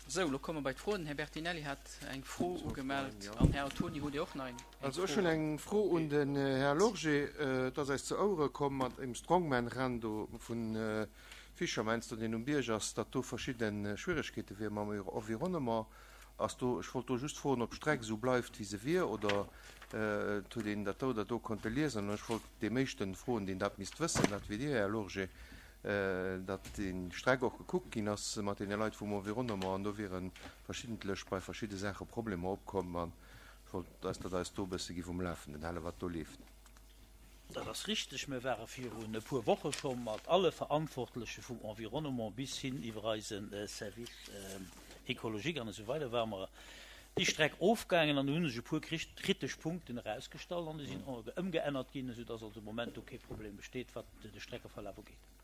Sou, elo komme mer bei d'Froen. Den Här Bertinelli hat eng Fro ugemellt an Här Antoni, hutt Dir och nach eng Fro? Also ech hunn eng Fro un den Här Lorgé. Et ass eis zu Ouere komm mat dem Strongman-Renn do vu Fischermans do, deen um Bierg ass, datt do verschidde Schwieregkeete wiere mam Environnement. Ass do, ech wollt do just froen, ob d'Streck esou bleift wéi se wier oder et huet een dat do oder do konnte liesen. An ech wollt deem éischten froen, deen dat misst wëssen, dat wier Dir, Här Lorgé. datt déi Streck och gekuckt ginn ass mat deene Leit vum Environnement an do wiere verschiddentlech bei verschidde Saache Problemer opkomm an ech wollt eis, datt eis do e bësse giff um Lafenden hale wat do leeft. Dat ass richteg. Mir ware virun e puer Woche scho mat alle Verantwortleche vum Environnement bis hin iwwer eise Service écologique an esou weider ware mer déi Streck ofgaangen an do hu sech e puer kritesch Punkten erausgestallt an déi sinn ëmgeännert ginn, esou datt also de Moment do kee Problem besteet wat de Streckeverlaf ugeet.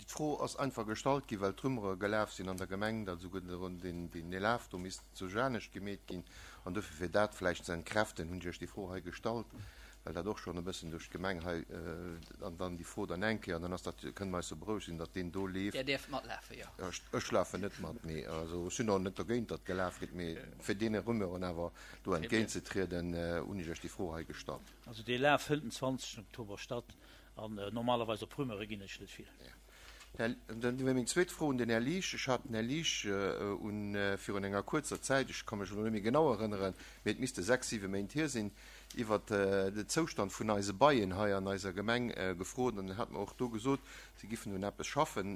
D'Fro ass einfach gestallt ginn, well d'Rumeuere gelaf sinn an der Gemeng, datt esouguer deen Laf do misst zu anescht gemeet ginn. An dofir, fir dat vläicht ze entkräften, hunn ech Iech déi Fro hei gestallt, well dat och schonn e bëssen duerch d'Gemeng hei, an dann déi Fro dann eng Kéier, an dann ass dat, kënne mer eis jo berouegt sinn, datt deen do leeft. Där däerft matlafen, jo. Ech lafen net mat, mee also ech sinn och net dogéint, datt gelaf gëtt, mee fir deene Rumeuren awer do entgéintzetrieden, hunn ech Iech déi Fro hei gestallt. Also dee Laf fënnt den 20 Oktober statt. An normalerweis op Rumeuren ginn ech net vill. Dann wier meng zweet Fro un den Här Liesch. Ech hat den Här Liesch un virun enger kuerzer Zäit, ech ka mech elo net méi genau erënneren, mee et misste sechs, siwe Méint hier sinn, iwwert de Zoustand vun eise Beien hei an eiser Gemeng gefrot. An en hat mer och do gesot, si giffen un eppes schaffen,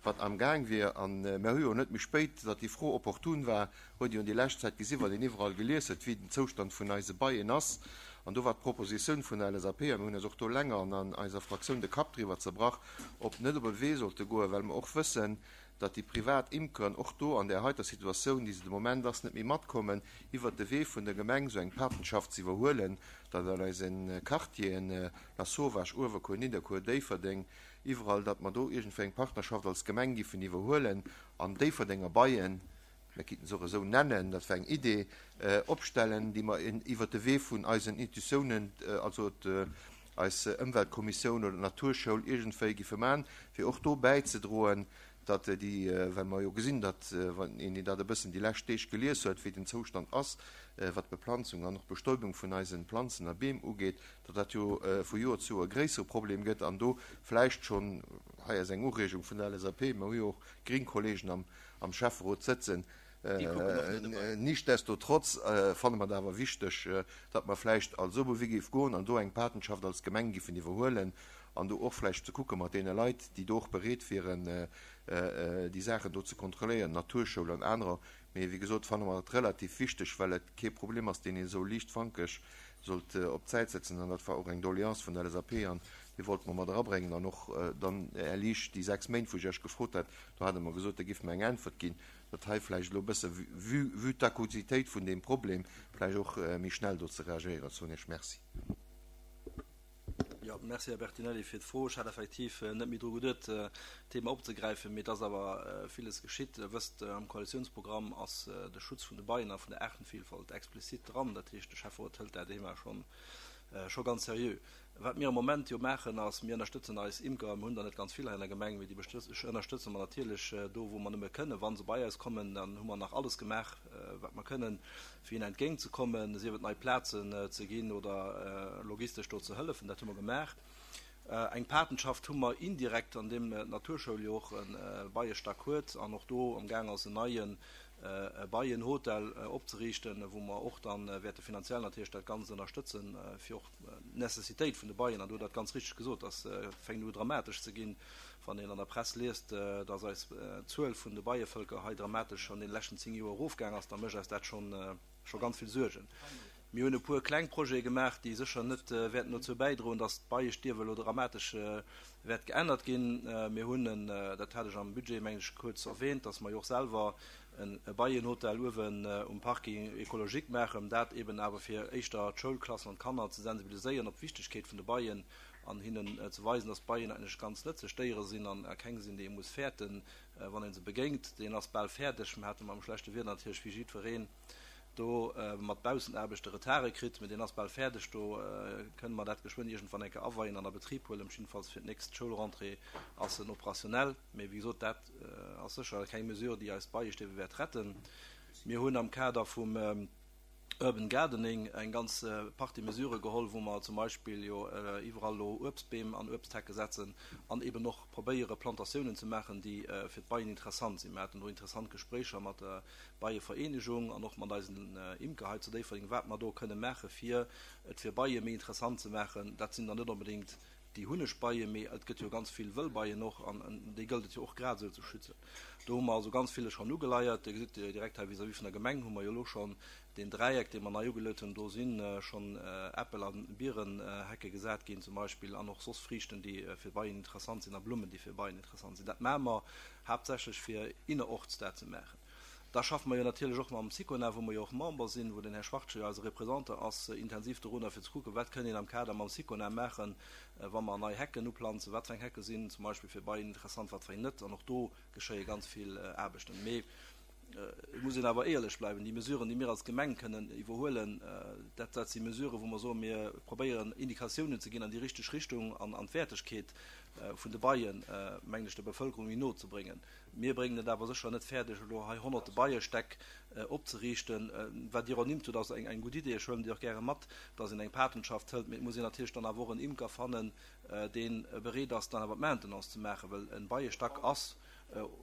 wat amgaang wier. A mer hu jo net méi spéit, datt déi Fro opportun war, huet een jo déi lescht Zäit gesi wat een iwwerall gelies huet, wéi den Zoustand vun eise Beien ass. An do war d'Propositioun vun der LSAP, a mir hunn eis och do länger an an eiser Fraktioun de Kapp driwwer zerbrach, ob net op e Wee sollte goen, well mer och wëssen, datt déi privat Imkeren och do an där heiter Situatioun, déi se de Moment ass, net méi matkommen, iwwert de Wee vun der Gemeng esou eng Patenschaft ze iwwerhuelen, datt an eise Quartieren, Lasauvage, Uewerkuer, Nidderkuer, Déifferdeng, iwwerall, datt mer do iergendwéi eng Partnerschaft als Gemeng giffen iwwerhuelen an Déifferdenger Beien, mir kinnten se och esou nennen, dat war eng Idee, opstellen, déi mer iwwert de Wee vun eisen Institutiounen, also eis Ëmweltkommissioun oder d'Naturschoul iergendwéi giffe maachen, fir och do bäizedroen, datt déi, well mer jo gesinn, datt, wann een dat e bëssen déi lescht Deeg gelies huet, wéi den Zoustand ass, wat d'Beplanzung an och d'Bestäubung vun eise Planzen a Beem ugeet, datt dat jo vu Joer zu Joer e gréissere Problem gëtt an do vläicht schonn, hei ass eng Ureegung vun der LSAP, mer hu jo och gring Kollegen am am Schäfferot sëtzen. Nichtsdestotrotz fanne mer et awer wichteg, datt mer vläicht als Oberwee géif goen an do eng Patenschaft als Gemeng giffen iwwerhuelen an do och vläicht ze kucke mat deene Leit, déi do och bereet wieren, déi Saachen do ze kontrolléieren, Naturschoul an anerer. Mee wéi gesot fanne mer et relativ wichteg, well et kee Problem ass, deen ee sou liichtfankeg sollt op d'Säit setzen. An dat war och eng Doleance vun der LSAP an déi wollte mer mat erabréngen. An och dann, Här Liesch, déi 6 Méint, wou ech Iech gefrot hat, do hat Der mer gesot, Der gifft mer eng Äntwert ginn, datt hei vläicht elo e bësse, vue, vue d'Akusitéit vun deem Problem, vläicht och méi schnell do ze reagéieren. Soen Iech Merci. Jo, merci Här Bertinelli fir d'Fro. Ech hat effektiv net méi dru geduet, d'Thema opzegräifen, mee et ass awer villes geschitt. Der wësst, am Koalitiounsprogramm ass de Schutz vun de Beien a vun der Aartenvielfalt explizit dran. Dat heescht, de Schäfferot hëlt dat Thema schonn, scho ganz seriö. Wat mir am Moment jo maachen, ass, mir ënnerstëtzen eis Imker. Mir hunn der net ganz vill hei an der Gemeng, mee déi ënnerstëtze mer natierlech do, wou mer nëmme kënnen. Wa se bei eis kommen, dann hu mer nach alles gemaach, wat mer kënnen, fir hinnen entgéintzekommen, sief et nei Plazen ze ginn oder logistesch do ze hëllefen. Dat hu mer gemaach. Eng Patenschaft hu mer indirekt, an deem d'Naturschoul jo och e Beiestack huet an och do amgaang ass, en neie Beienhotel opzeriichten, wou mer och da wäerte finanziell natierlech dat Ganzt ënnerstëtzen, fir och d'Necessitéit vun de Beien, an do huet Der et ganz richteg gesot, dass fänkt u dramatesch ze ginn, wann een an der Press liest, dass eis d'Zuel vun de Beievëlker hei dramatesch an deene leschten 10 Joer erofgaang ass, da mécht eis dat scho ganz vill Suergen. Mir hunn e puer kleng Projete gemaach, déi sécher net wäerten dozou bäidroen, dass d'Beiestierwe elo dramatesch wäert geännert ginn. Mir hunn en, dat hat ech am Budget, mengen ech, kuerz erwähnt, dass mer jo och selwer e Beienhotel uewen um Parking écologique maachen, dat eben awer fir éischter d'Schoulklassen an d'Kanner ze sensibiliséieren op d'Wichtegkeet vun de Beien an hinnen ze weisen, dass d'Beien eigentlech ganz nëtzlech Déiere sinn an keng sinn, déi ee muss fäerten, wann ee se begéint. Deen ass bal fäerdeg. Mir hate mam schlechte Wieder natierlech wéi jiddwereen. Do mat Baussenaarbechte Retarde kritt, mee deen ass bal fäerdeg. Do kënne mer dat geschwënn iergendwann eng Kéier aweien an a Betrib huelen. Jiddefalls fir d'nächst Schoulrentrée ass en operationnel. Mee wéi gesot, dat ass sécher keng Mesure, déi eis d'Beiestiewe wäert retten. Mir hunn am Kader vum Urban Gardening eng ganz Partie Mesurë geholl, wou mer zum Beispill jo iwwerall elo Uebstbeem an Uebsthecke setzen an eben och probéiere Plantatiounen ze maachen, déi fir d'Beien interessant sinn. Mir haten do interessant Gespréicher mat der Beievereenegung an och mat eisen Imker hei zu Déifferdeng, wat mer do kënne maache fir et fir Beie méi interessant ze maachen. Dat sinn dann net onbedéngt déi Hunnegbeie, mee et gëtt jo ganz vill Wëllbeien och an déi gëllt et jo och grad esou ze schützen. Do hu mer also ganz villes schonn ugeleiert. Dir gesitt direkt hei vis-à-vis vun der Gemeng hu mer jo elo schonn deen Dräieck, dee mer nei ugeluet hunn. Do si schonn Äppel a Bierenhecke gesat ginn zum Beispill an och soss Friichten, déi fir Beien interessant sinn a Blummen, déi fir Beien interessant sinn. Dat maache mer haaptsächlech fir innerorts dat ze maachen. Da schaffe mer jo natierlech och mam Sicona, wou mer jo och Member sinn, wou den Här Schwartje jo eise Représentant ass, intensiv dorunner, fir ze kucken, wat kënn een am Kader mam Sicona maachen, wa mer nei Hecken uplanzen, wat fir eng Hecke sinn zum Beispill fir Beien interessant, wat fir eng net. An och do geschéie ganz vill Aarbechten. Mee et muss een awer éierlech bleiwen, Déi Mesuren, déi mir als Gemeng kënnen iwwerhuelen, dat, dat si Mesuren, wou mer soen, mir probéieren Indikatiounen ze ginn an déi richteg Richtung an an d'Wäertegkeet vun de Beien, mengen ech, der Bevëlkerung méi no ze bréngen. Mir bréngen et awer sécher net fäerdeg, elo hei honnerte Beiestäck opzeriichten. Wat Dir ernimmt hutt, ass eng gutt Idee. Ech huelen déi och gäre mat, dass een eng Patenschaft hëlt. Mee et muss een natierlech dann awer och en Imker fannen, dee bereet ass, dann awer d'Maintenance ze maachen. Well e Beiestack ass,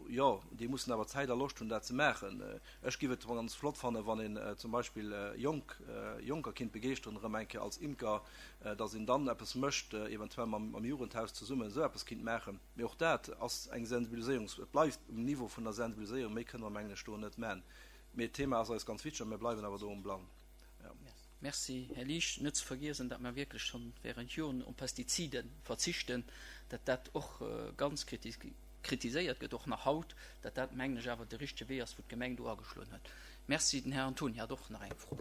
jo, déi mussen awer Zäit a Loscht hunn, dat ze maachen. Ech géif et ganz flott fannen, wann een zum Beispill jonk Jonker kinnt begeeschteren, erëm eng Kéier als Imker, dass een dann eppes mécht, eventuell mam Jugendhaus zesummen esou eppes kinnt maachen. Mee och dat ass eng Sensibiliséierungs-, et bleift um Niveau vun der Sensibiliséierung, méi kënne mer, mengen ech, do net man. Mee d'Thema ass eis ganz wichteg a mir bleiwen awer do um Blang. Jo. Merci, Här Liesch. Net ze vergiesen, datt mer wierklech schonn während Joren op Pestizide verzichten, datt dat och ganz kritiséiert gëtt, och nach haut, datt dat, mengen ech, awer de richtege Wee ass, wou d'Gemeng do ageschloen huet. Merci. Den Här Antoni hat och nach eng Fro.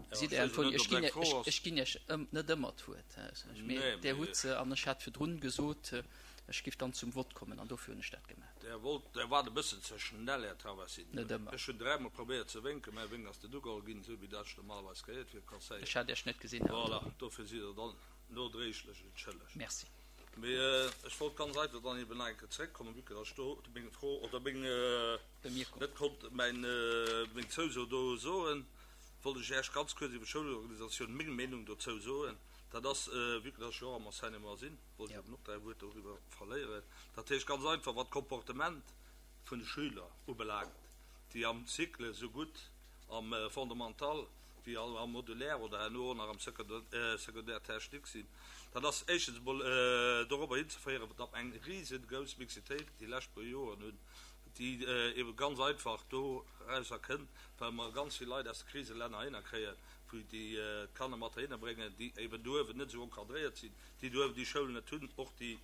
Gesitt, Här Antoni, ech ginn, ech ginn Iech net ëmmer d'Wuert, mee Dir hutt se an ech hat virdrun gesot, ech giff dann zum Vott kommen an dofir hunn ech dat gemaach. Där wollt, Där waart e bëssen ze schnell, Här Traversini. Net ëmmer. Ech hunn dräimol probéiert ze wénken, mäi Wénk ass net ugeholl ginn, esou wéi dat ech normalerweis gehéiert fir e Conseiller. Ech hat Iech net gesinn, Här Antoni. Voilà, dofir sidd Der dann nodréiglech entschëllegt. Merci. Mee ech wollt ganz einfach dann eben nach eng Kéier zeréckkommen, vue que datt ech do meng Fro oder meng, Bemierkung. net konnt mäin, meng Zouso do soen, wollt ech Iech ganz kuerz iwwer d'Schoulorganisatioun meng Meenung dozou soen. Dat ass, vue que datt ech jo och am Enseignement sinn, wollt ech eben och dräi Wuert doriwwer verléieren. Dat heescht ganz einfach, wat d'Comportement vun de Schüler ubelaangt, déi am Cycle esou gutt am Fondamental wéi am Modulaire oder herno och nach am Secondaire technique sinn, dat ass éischtens emol dorobber hinzeféieren, datt mer eng risengrouss Mixitéit déi lescht puer Joren hunn, déi ebe ganz einfach dorauser kënnt, well mer ganz vill Leit aus de Kriselänner heihinner kréien, wou déi d'Kanner mat heihinner bréngen, déi eben do uewen net esou encadréiert sinn, déi do uewen déi Schoulen net hunn, och déi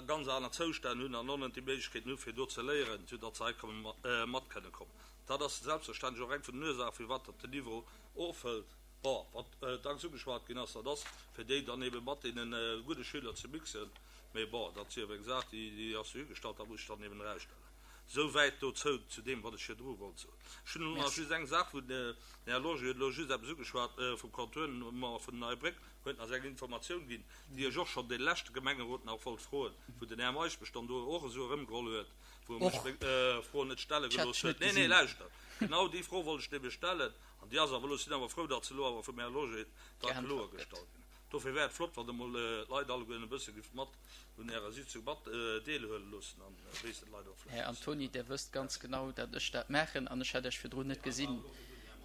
ganz aner Zoustänn hunn an och net déi Méiglechkeeten hu fir do ze léieren, soudatt se hei komme mat kënne kommen. Dat ass selbstverständlech och eng vun den Ursaachen, firwat datt den Niveau ofhëlt. Bon, wat dacks ugeschwat ginn ass, dat ass, fir déi dann ebe mat deene gudde Schüler ze mixen. Mee bon, dat sief eng Saach, déi ass dohigestallt, dat muss sech dann eben erausstellen. Esou wäit dozou, zu deem, wat ech virdru wollt soen. Ech hunn elo nach just eng Saach, wou den Här Lorgé huet elo just eppes ugeschwat vum Contournement vun der Neier Bréck, huet nach eng Informatioun ginn, déi ech och schonn dee leschte Gemengerot nach wollt froen, wou den Här Meisch mech dann do och esou erëmgeholl huet, wou e mech meng Fro net stelle gelooss huet. Nee, nee, lauschtert, genau déi Fro wollt ech nämlech stellen, an déi ass awer elo, ech sinn awer frou, datt se elo awer vum Här Lorgé da kloergestallt ginn. Dofir wär et flott, wann Der emol d'Leit allegueren e bësse gift mat un Ärer Sitzung mat deelhuele loossen an wéissten d'Leit och vläicht Här e bëssen. Antoni, Der wësst ganz genau, datt ech dat maachen an ech hat Iech virdrun net gesinn,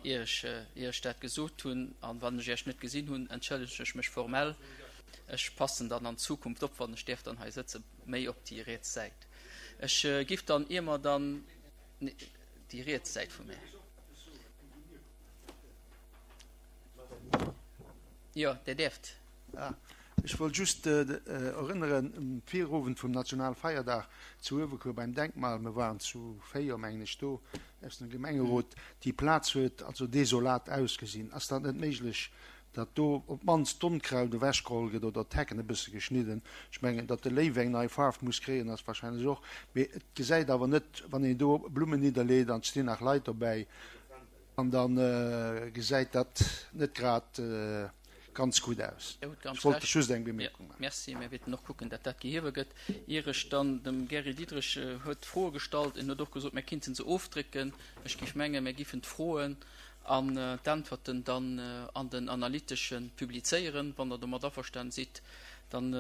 ier ech Iech dat gesot hunn. An wann ech Iech net gesinn hunn, entschëllegen ech mech formell. Ech passen dann an Zukunft op, wann ech däerf dann hei sëtzen, méi op déi riets Säit. Ech giff dann, ier mer dann, déi riets Säit vu mär. Jo, Dir däerft. Ech wollt just erënneren, um Virowend vum Nationalfeierdag zu Uewerkuer beim Denkmal, mer waren zu 4, mengen ech, do aus dem Gemengerot, déi Plaz huet also desolat ausgesinn. Ass dat net méiglech, datt do op d'mannst d'Onkraut ewechgeholl gëtt oder d'Hecken e bësse geschnidden? Ech mengen, datt de Léiw eng nei Faarf muss kréien, ass wahrscheinlech och, mee et gesäit awer net, wann een do Blummen nidderleet an et stinn nach Leit dobäi. An da gesäit dat net grad ganz gutt aus. Dir hutt ganz Ech wollt Recht. just eng Bemierkung maachen. Merci. Mir wäerten och kucken, datt dat gehewe gëtt. Ier ech dann dem Gary Diderich huet d'Froe gestallt, en huet och gesot, mir kinnten se ofdrécken. Ech géif mengen, mir giffen d'Froen an d'Äntwerten dann an den Analytesche publizéieren, wann Der domat averstanen sidd. Dann,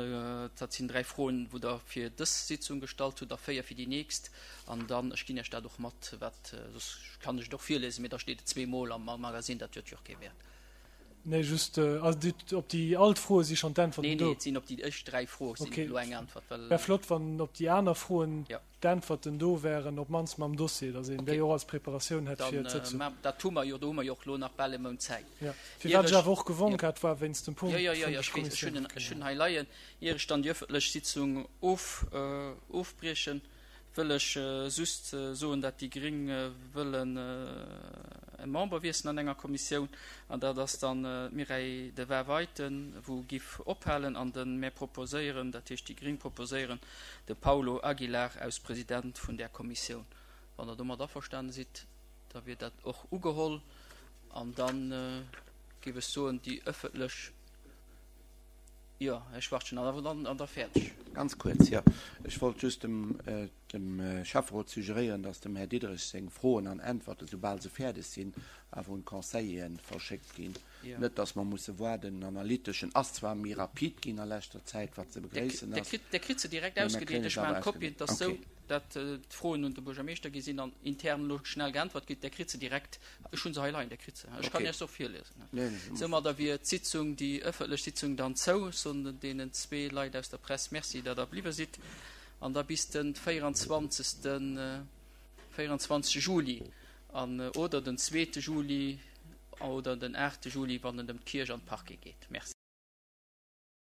dat sinn 3 Froen, wou Der fir dës Sitzung gestallt hutt a 4 fir déi nächst. An dann, ech ginn Iech dat och mat, wat, soss kann ech et och virlesen, mee da steet et zweemol am Magasinn, dat huet jo och kee Wäert. Nee, just, also déi, op déi all d'Froe si schonn d'Äntwerten Nee, do. nee, et sinn op déi éischt 3 Froe sinn Okay. elo eng Äntwert, well. Wär flott, wann op déi aner Froen Ja. d'Äntwerten do wären, op d'mannst mam Dossier, datt een Okay. déi och als Preparatioun hätt fir Dann, d'Sëtzung. mä dat hu mer jo, do hu mer jo och elo nach bal e Mount Zäit. Ja. Ier Firwat ech ech, awer och gewonk ja. hat, war wéinst dem Jo, Punkt jo, jo, vun jo, der ech weess, ech hunn Kommissioun. en, ech hunn en hei leien. Ier ech dann déi ëffentlech Sitzung of, ofbriechen, wëll ech just soen, dat déi Gring wëllen e Member wiesselen an enger Kommissioun, an dat ass dann d'Mireille de Waerweiten, wou giff ophalen, an de mär proposéieren, dat heescht déi Gring proposéieren de Paulo Aguilar aus President vun där Kommissioun. Wann Der domat averstane sidd, da wier dat och ugeholl, an da giff ech soen, déi ëffentlech. Jo, Här Schwachtgen, an dann an da fäerdeg. Ganz kuerz, jo. Ech wollt just dem, dem Schäfferot suggeréieren, dass dem Här Diderich seng Froen an Äntwerten, soubal se fäerdeg sinn, awer un d'Conseilleren verschéckt ginn. Jo. Net, dass mer musse waarden. Den Analyteschen ass zwar méi rapid ginn a leschter Zäit, wat ze begréissen Der ass. kritt, Der kritt se direkt Mee mir ausgedeelt. kréien Ech se awer maachen Kopien, ausgedeelt. dass sou. Okay. dat d'Froen un de Buergermeeschter gi sinn an intern elo schnell geäntwert ginn, Der kritt se direkt. Ech hu se hei leien, Der kritt se. Ech kann Okay. Iech se och virliesen. Nee, nee, Soumadder wier d'Sitzung, déi ëffentlech Sitzung dann zou. Ech soen deenen zwee Leit aus der Press Merci, datt Der bliwwe sidd. An da bis de 24. 24. Juli an oder den zweete Juli oder den aachte Juli, wann et ëm d'Kierch an d'Parquet geet. Merci.